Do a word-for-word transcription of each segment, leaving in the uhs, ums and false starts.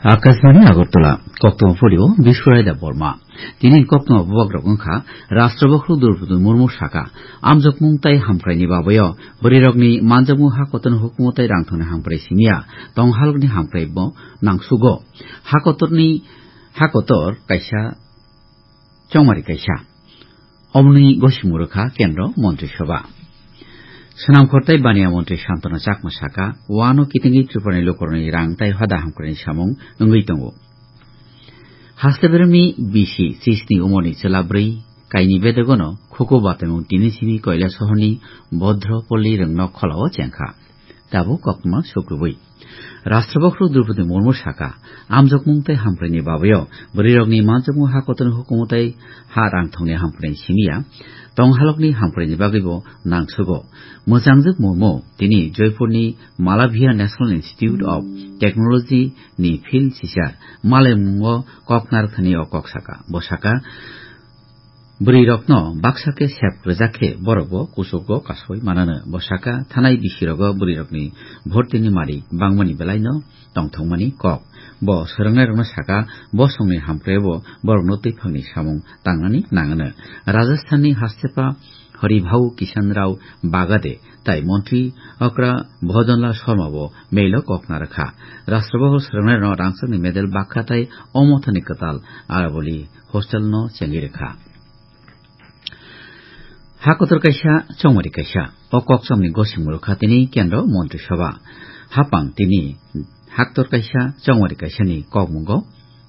Akashbani Agartala, koktong polio Biswaraida Borma. Tini koktong bubagrok wngkha, Rashtrabakhu Droupadi Murmu saka, amjokmung tai hamkraini babayo, bwrwirokni manjakmung ha kotorni hukumu tai rangthongni hamkrai simiya, tonghalokni hamkrai bo nangsugo. Ha kotorni, ha kotor kaisa chongmari kaisa. Omoni gosimung rwkha Kendro Montri Sabha. Swnamkhor tai Baniya Montri Santana Chakma saka, wano kitingwi Tripurani lukurokni rang tai hoda hamkraini samung wngwi tongo. Haste beremni bisi chisni umorni chwla bwrwi kaini bedegono khuku bataimung tini simi Koilasohorni Bodropalli rwngnok kholao chengkha. Tabuk koktma sukrubui. Rashtrabakhu Droupadi Murmu saka, amjokmung tai hamkraini babayo, bwrwirokni manjakmung ha kotorni hukumu tai ha rangthongni hamkraini simiya, tonghalokni hamkraini bagwibo nangsugo. Mwchangjak Murmu tini Joypurni Malavia National Institute of Technology ni field sisa malaimungo kok narwkthani o kok saka. Bo saka, bwrwirokno baksa khe sep rwjak khe borokbo kuchugo kasoi manano. Bo saka, thanai bisirogo bwrwirokni bhortini mari bangmani belaino tongthokmani kok. Bo swrwngnairokno saka, bosongni hamkraio borokno twiphangni samung tangnani nangano. Rajasthanni Hastepa Haribhau Kishan Rao Bagade tai Montri Okra Bhojonlal Sharma bo mailo kok narwkha. Rashtrabakhu swrwngnairokno rangchakni medal bakha tai omothani kwtal Araboli hostel no chengwi rwkha. Ha kotor kaisa, chongmari kaisa. O kokchomni gosimung rwkha tini Kendro Montri Sabha. Hapang tini haktor kaisa, chongmari kaisani kokmungo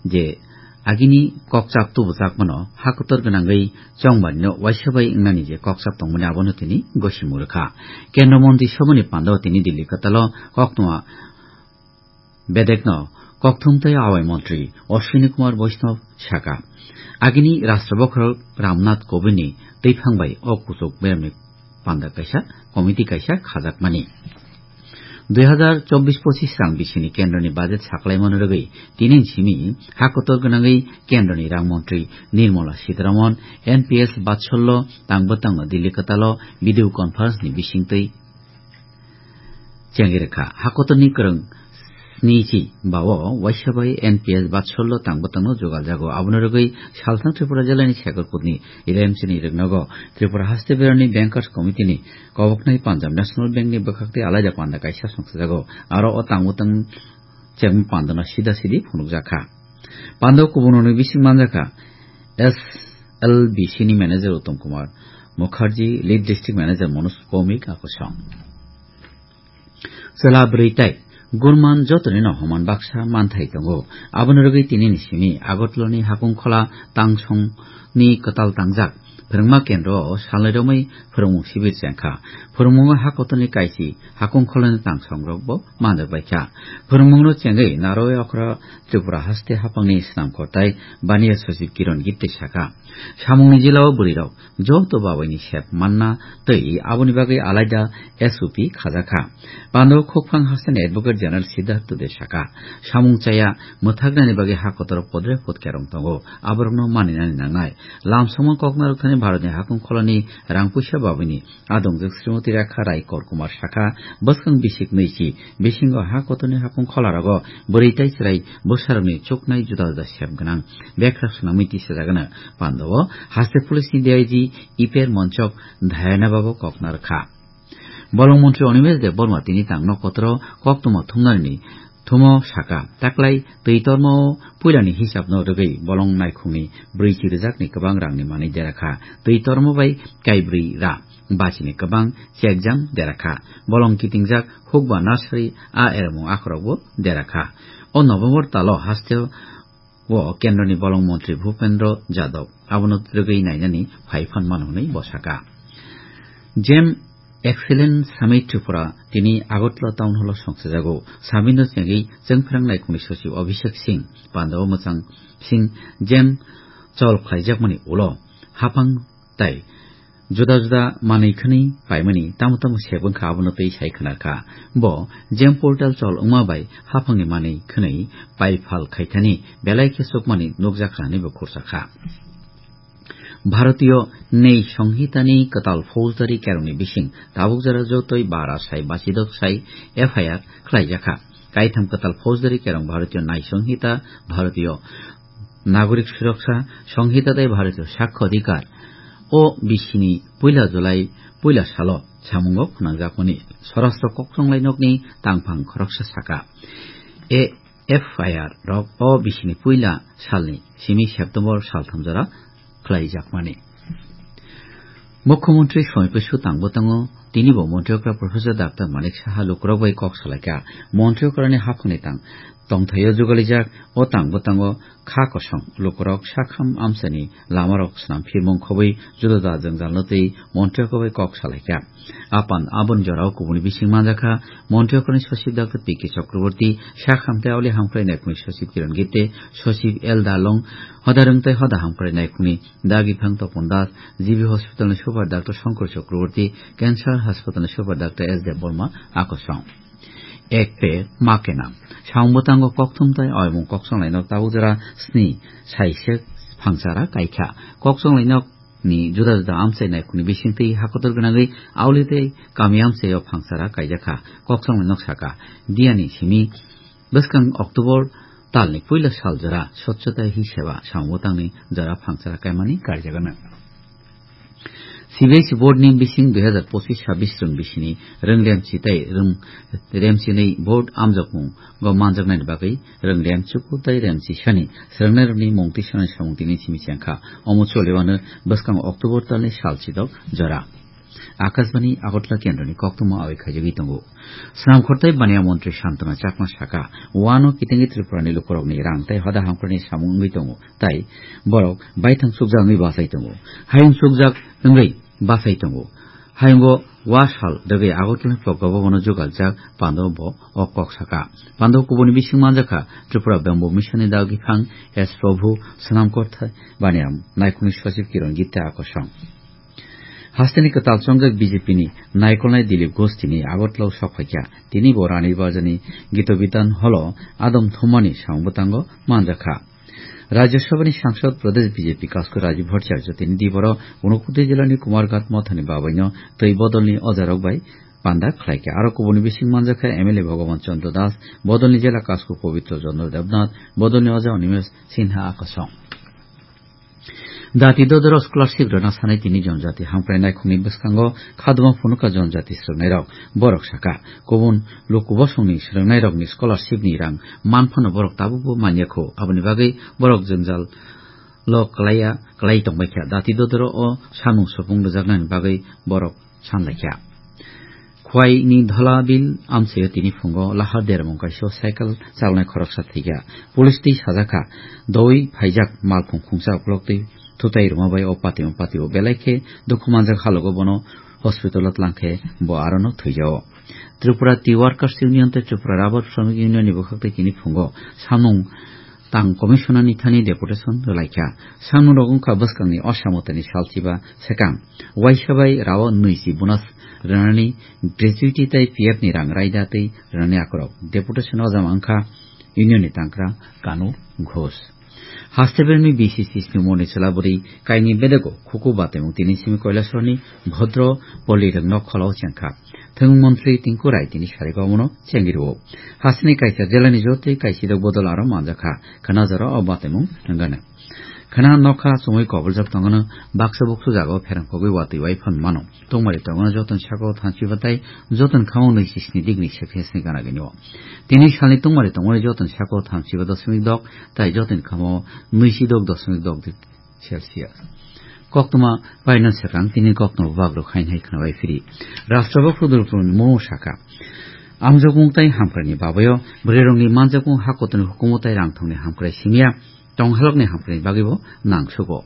je agini kokchap tubujakmano ha kotor gwnangwi chongmarino waisa bai wngnani je kokchap tongmani abono tini gosimung rwkha. Kendro Montri Sabhani pandao tini Delhi kwtalo koktwma bedekno kokthum tei awai montri Ashwini Kumar Vaishnaw saka, agini Rashtrabakhu Ramnath Kovindni twiphang bai o kuchuk beremni panda kaisa, committee kaisa khajakmani. Dui hazar chobbish pochis rang bisini kendroni budget saklaimano rwgwi tini simi ha kotor gwnangwi kendroni rang montri Nirmala Sitharaman, N P S Vatsalya Tangbwtangno Delhi kwtalo video conference ni bisingtwi chengwi rwkha. Hakotorni kwrwng snichi bao waisa bai N P S Vatsalya Tangbwtangno jugaljago. Abono rwgwi Salthang Tripura jilani Shekhar Kutni L M C ni rwgnogo Tripura haste berani Bankers Committee ni koboknai Punjab National Bank ni bwkhak tei alaida panda kaisa songsajago. Aro o Tangbwtang chengma pandano sida sidi phunukjakha. Pando kubunoni bising manjakha S L B C ni manager Uttam Kumar Mukherjee, lead district manager Manoj Bhowmik akosong. Chwla bwrwi tai gurman jotoni no homan baksa manthai tongo. Aboni rwgwi tinini simi Agartalani Hakungkhola tangsongni kwtal tangjak phwrwngma kendro o salnwi romwi phwrwngmung sibir chengkha. Phwrwngmungo hakotoni kaisi Hakungkholani tangsongrokbo manjak baikha. Phwrwngmungno chengwi narwi okra Tripura haste haphangni swnamkhor tai Baniya Sochib Kiron Gitte sakha, samungni jilao bwrwirok joto babaini sep manna tei aboni bagwi alaida S O P khajakha. Pando khukphang hasteni Advocate General Siddhartha De sakha, samung chaya mwthaknani bagwi ha kotor podre pod kerong tongo, aborokno maninani nangnai. Lamsongma koknarok thani Bharatni Hakungkholani rang puisa babaini adongjak Srimati Rekha Rai Korkumar sakha, bwskang bisik nwichi bisingo ha kotorni Hakungkholarogo bwrwi tai chwrai bwsarokni chuknai juda juda sep gwnang bekrap swnamwi tisajagano. Pandao haste police ni D I G Iper Monchok Dhayana Babo kokna rwkha. Bolong montri Animesh Debbarma tini tangno kotoro koktwma thumnani thumo sakha, taklai twi tormo puilani hisabno rwgwi bolong naikhungni brwichi rwjakni kwbang rangni manwi derakha. Twi tormo bai kaibrwi ra bachini kwbang chekjang derakha. Bolong kitingjak hukba nursery a ermung akhorokbo derakha. O November talo hasteo o kendroni bolong montri Bhupendra Jadhav abono twrwgwi nainani phai phan mano hwnwi bo sakha. Jem Excellence Summit Tripura tini Agartala Town Hall o songchajago. Summit no chengwi chwngphrang naikhungni sochib Abhishek Singh, pandao mwchang Singh, Jem chol khlaijakmani ulo haphang tai juda juda manwi khwnwi paimani tamo tamo sep wngkha abono twi sai khwnarkha. Bo Jem portal chol wngma bai haphangni manwi khwnwi pai phal khaithani belai khe chukmani nukjakha hwnwi bo khursakha. Bharatiyo Nyai Songhitani kwtal faujdari kerongni bising tabuk jora jotoi bara sai bachidok sai F I R khlaijakha. Kaitham kwtal faujdari kerong Bharatiyo Nyai Songhita, Bharatiyo Nagorik Suroksha Songhita tei Bharatiyo Sakho Adhikar o bisini puila July puila salo samungo phwnangjakmani Swarashtra Kokchonglai Nokni tangphang khoroksa saka. A F I R rok o bisini puila salni simi September saltham jora khlaijakmani. Mukhyamantri Somoi Bwsu tangbo tongo, tinibo Montri okra Professor Doctor Manik Saha lukurok bai kok salaikha. Montri okrani haphangni tang tongthaio jugalijak, o tangbo tongo kha kosong lukurok sakham amchaini lamarok swnam phirmung khobwi juda juda jwngjalno twi Montri okra bai kok salaikha. Apan aboni jorao kubuni bising manjakha, Montri okra ni Sachib Doctor P K Chakraborty, sakham tei auli hamkrai naikhungni Sachib Kiran Gite, Sachib L Dalong, hoda rwng tei hoda hamkrai naikhungni Dagi Phang Topon Das, G B Hospital ni Super Doctor Shankar Chakraborty, Cancer Hospital ni Super Doctor S Debbarma akosong. Ek pe ma kenam. Samung bwtango kokthum tei oimung kokchonglai nok tabuk jora sni saisek phangsara kaikha. Kokchonglai nok ni juda juda amchai naikhungni bisingtwi hakotor gwnangwi auli tei kami amchaio phangsara kaijakha. Kokchonglai nok saka, diyani simi bwskang October talni puila sal jora Swachhata Hi Seva samung bwtangni jora phangsara kaimani karjagano. C B S E board ni bising dui hazar pochis sabis rwng bisini rwng remchi tei rwng remchinwi board amjokmung go manjaknani bagwi rwng remchuku tei remchisani swrwngnairokni mung twi sanai samung tini simi chengkha. Omo choliwano bwskang October talni sal chidok jora. Akashbani Agartala kendroni koktwma awi khaijagwi tongo. Swnamkhor tei baniya montri Santana Chakma saka, wano kitingwi Tripurani lukurokni rang tei hoda hamkhrani samung wngwi tongo, tai borok baithang chukjak wngwi bachai tongo. Hayung chukjak wngwi bachai tongo. Hayungo wa sal dagwi Agartala Pogga Bhabono jugaljak Pandao bo o kok saka. Pandao kubuni bising manjakha Tripura Bamboo Mission ni dagwi phang S Prabhu, Swnamkhor tei baniya naikhungni Sachib Kiran Gite akosong. Hasteni kwtal chongjak B J P ni naikolnai Dilip Ghosh tini Agartala o sok phaikha. Tini bo Rani Bazar ni Gito Bidan Hall o adom thumani samung bwtango manjakha. Rajya Sabha ni Sangsad Pradesh B J P Kasku Rajiv Bhattacharya tini diboro Unakoti jila ni Kumarghat Mothani babaino twi bodol ni ojarok bai panda khlaikha. Aro kubuni bising manjakha M L A Bhagavan Chandra Das, bodol ni jila Kasku Pabitra Chandra Debnath, bodol ni oja Animesh Sinha akosong. Jati dodoro scholarship rwna sanai tini jonjati hamkrai naikhungni bwskango khaduma phunuka jonjati swrwngnairok. Borok saka, kubun luku bosongni swrwngnairokni scholarship ni rang manphano borok tabukbo manyakho. Aboni bagwi borok jwngjal lo kwlaiya, kwlai tongbaikha. Jati dodoro o samung supung rwjaknani bagwi borok sanlaikha. Khwaini Dholabil amchaio tini phungo lahar dermung kaisa cycle chalnai khoroksa thwikha. Police twi sajakha, doi phaijak malkhung khungsa uklok twi thutai rwma bai o patio patio belai khe dukhu manjak halogo bono hospital o tlang khe bo arono thwijao. Tripura Tea Workers Union tei Tripura Rubber Shramik Union ni bwkhak tei tini phungo samung tang commissioner ni thani deputation rwlaikha. Samung rok wngkha bwskangni osamotani salchiba swkang. Waisa bai rao nwichi bonus rwnani gratuity tei P F ni rang raida tei rwnani akorok. Deputation o jama wngkha union ni tangkra Kanu Ghosh. Haste bermi B C C snimoni chwla bwrwi kaini bedego khuku batemung tini simi Kailasoro ni Bhodro Poli rwngno kholao chengkha. Thwng montri Tinku Rai tini sarigo omono chengwi rwo. Hasteni kaisa jela ni jotoi kaisidok bodol aro manjakha. Khna jora o batemung wngano. Khna nokha chumui koboljak tongano baksa buksu jagao pherang kogwi watwi wai phan mano. Tongmari tongmani joton saka o thamchiba tai joton khamo nwi chisni degree Celsius ni gana gini o. Tini salni tongmari tongmani joton saka o thamchiba dosmik dok tai joton khamo nwi si dok dosmik dok degree Celsius. Koktwma paina swkang tini koktwma bubak rok hain hai khna bai phiri. Rashtra bokro Droupadi Murmu saka. Amjokmung tai hamkrai ni babayo bwrwi rokni manjakmung ha kotorni hukumu tai rang thongni hamkrai simiya tong halokni hamkrai ni bagwi bo nang sugo.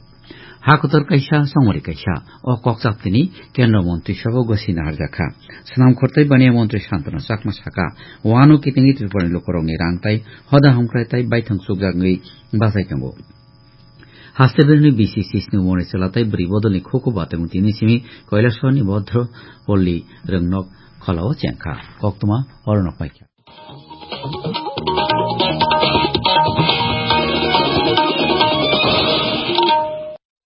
Ha kotor kaisa, chongmari kaisa. O kokchap tini Kendra Montri Sabha gosina harjakha. Swnam khortai baniya Montri Santana Chakma saka, wano kitingwi Tripura ni lukurokni rang tai hoda hamkrai tai baithang chukjak wngwi bachai tongo. Haste berni B C C snimoni chwla tai bwrwi bodolni khuku batemung tini simi Kailasor ni Bodro Polli rwngnok kholao chengkha. Koktwma oro nok paikha.